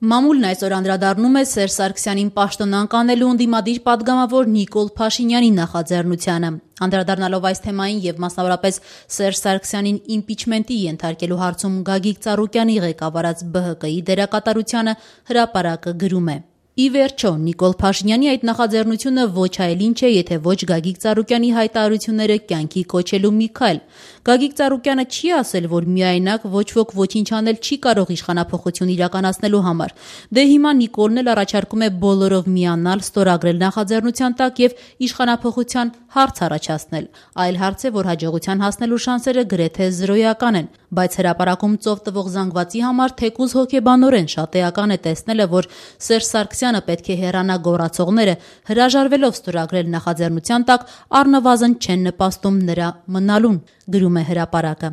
Մամուլն այսօր անդրադառնում է Սերժ Սարգսյանին պաշտոնանկ անելու ընդդիմադիր պատգամավոր Նիկոլ Փաշինյանի նախաձեռնությանը։ Անդրադառնալով այս թեմային եւ մասնավորապես Սերժ Սարգսյանին իմպիչմենտի ենթարկելու հարցում Գագիկ Ծառուկյանի ղեկավարած ԲՀԿ-ի դերակատարությանը հրապարակը գրում է. Ի վերջո, Նիկոլ Փաշինյանի այդ նախաձեռնությունը ոչ այլ ինչ է, եթե ոչ Գագիկ Ծառուկյանի հայտարարությունները կյանքի կոչելու մի քայլ։ Գագիկ Ծառուկյանը չի ասել, որ միայնակ ոչ ոք ոչինչ անել չի կարող իշխանափոխություն իրականացնելու համար։ Դե հիմա Նիկոլն էլ առաջարկում է բոլորով միանալ, ստորագրել նախաձեռնության տակ եւ իշխանափոխության հարց առաջացնել։ Այլ հարց է, որ հաջողության հասնելու շանսերը գրեթե զրոյական են, բայց հրապարակում ծով տվող զանգվածի համար թեկուզ հոգեբանորեն շատ էական է տեսնելը, որ Սերժ Սարգսյանը պետք է հեռանա գոռացողները հրաժարվելով ստորագրել նախաձեռնության տակ առնվազն չեն նպաստում նրա մնալուն, գրում է հրապարակը։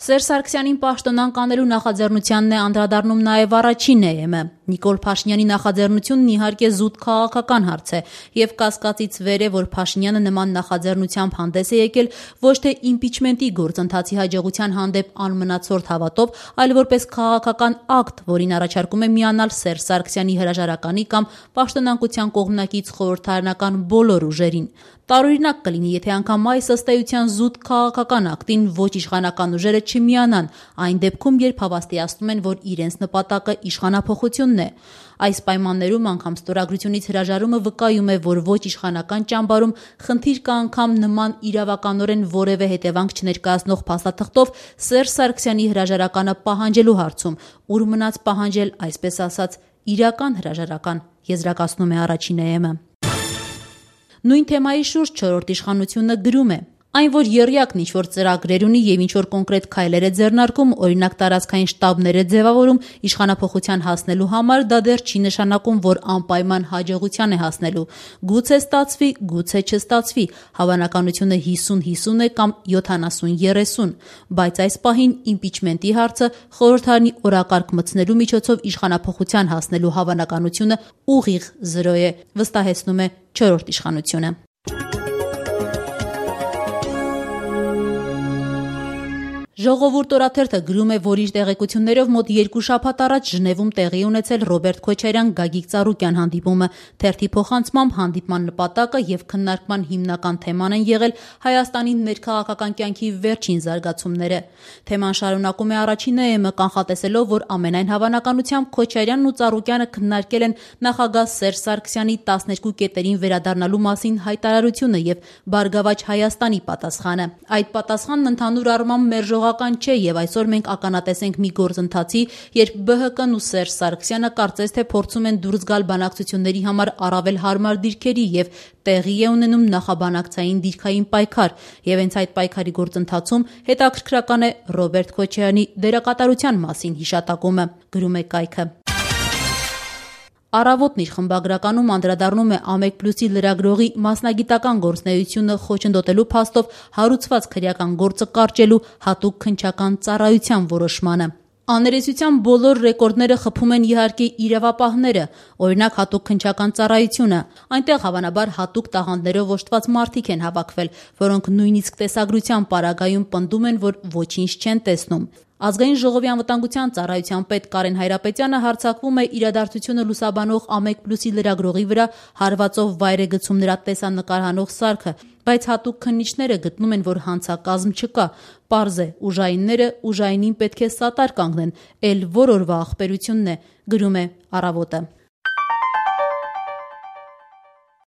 Սերժ Սարգսյանին պաշտոնանկ անելու նախաձեռնությանն է անդրադառնում նաև առաջին ԵՄ-ը։ Նիկոլ Փաշինյանի նախաձեռնությունն իհարկե զուտ քաղաքական հարց է եւ կասկածից վեր է, որ Փաշինյանը նման նախաձեռնությամբ հանդես է եկել ոչ թե իմպիչմենտի գործընթացի հաջողության հանդեպ անմնացորդ հավատով, այլ որպես քաղաքական ակտ, որին առաջարկում է միանալ Սերժ Սարգսյանի հրաժարականի կամ պաշտոնանկության կողմնակից խորհրդարանական բոլոր ուժերին։ Տարօրինակ կլինի, եթե անգամ այս ըստ էության զուտ քաղաքական ակտին ոչ իշխանական ուժերը չմիանան, այն դեպքում, երբ հավաստիացնում են, որ իրենց նպատակը իշխանափոխությունն է։ Այս պայմաններում անգամ ստորագրությունից հրաժարումը վկայում է, որ ոչ իշխանական ճամբարում խնդիր կա անգամ նման իրավականորեն որևէ հետևանք չներկայացնող փաստաթղթով Սերժ Սարգսյանի հրաժարականը պահանջելու հարցում, ուր մնաց պահանջել, այսպես ասած, իրական հրաժարական, եզրակացնում է առաջին ԵՄ-ը։ Նույն թեմայի շուրջ չորրորդ իշխանությունը գրում է. Այն, որ եռյակն ինչ-որ ծրագրեր ունի եւ ինչ-որ կոնկրետ քայլեր է ձեռնարկում, օրինակ տարածքային շտաբներ է ձևավորում իշխանափոխության հասնելու համար, դա դեռ չի նշանակում, որ անպայման հաջողության է հասնելու։ Գուցե ստացվի, գուցե չստացվի, հավանականությունը 50-50 է կամ 70-30, բայց այս պահին իմպիչմենտի հարցը խորհրդարանի օրակարգ մտցնելու միջոցով իշխանափոխության հասնելու հավանականությունը ուղիղ 0 է, վստահեցնում է չորրորդ իշխանությունը։ Ժողովուրդ օրաթերթը գրում է, որ իր տեղեկություններով մոտ 2 շաբաթ առաջ Ժնևում տեղի ունեցել Ռոբերտ Քոչարյան-Գագիկ Ծառուկյան հանդիպումը։ Թերթի փոխանցմամբ հանդիպման նպատակը եւ քննարկման հիմնական թեման են եղել Հայաստանի ներքաղաքական կյանքի վերջին զարգացումները։ Թեման շարունակում է առաջին ԵՄ-ը կանխատեսելով, որ ամենայն հավանականությամբ Քոչարյանն ու Ծառուկյանը քննարկել են նախագահ Սերժ Սարգսյանի 12 կետերին վերադառնալու մասին հայտարարությունը եւ Բարգավաճ Հայաստանի պատասխանը։ Այդ պատասխանն ընդհանուր առմամբ մերժողական չէ եւ այսօր մենք ականատեսենք մի գործընթացի, երբ ԲՀԿ-ն ու Սերժ Սարգսյանը կարծես թե փորձում են դուրս գալ բանակցությունների համար առավել հարմար դիրքերի եւ տեղի է ունենում նախաբանակցային դիրքային պայքար եւ հենց այդ պայքարի գործընթացում հետաքրքրական է Ռոբերտ Քոչարյանի դերակատարության մասին հիշատակումը, գրում է կայքը։ Առավոտն իր խմբագրականում անդրադառնում է ԱՄԵԿ+-ի լրագրողի մասնագիտական գործունեությունը խոչընդոտելու փաստով հարուցված քրեական գործը կարճելու հատուկ քննչական ծառայության որոշմանը։ Աներեսության բոլոր ռեկորդները խփում են իհարկե իրավապահները, օրինակ հատուկ քննչական ծառայությունը։ Այնտեղ հավանաբար հատուկ տաղանդներով օժտված մարդիկ են հավաքվել, որոնք նույնիսկ տեսագրության պարագայում պնդում են, որ ոչինչ չեն տեսնում։ Ազգային ժողովի անվտանգության ծառայության պետ Կարեն Հայրապետյանը հարձակվում է իրադարձությունը լուսաբանող ԱՄԵԿ+-ի լրագրողի վրա հարվածով վայր է գցում նրա տեսանկար հանող սարքը, բայց հատուկ քննիչները գտնում են, որ հանցակազմ չկա, պարզ է, ուժայինները ուժայինին պետք է սատար կանգնեն, էլ որ օրվա ախպերությունն է, գրում է Առավոտը։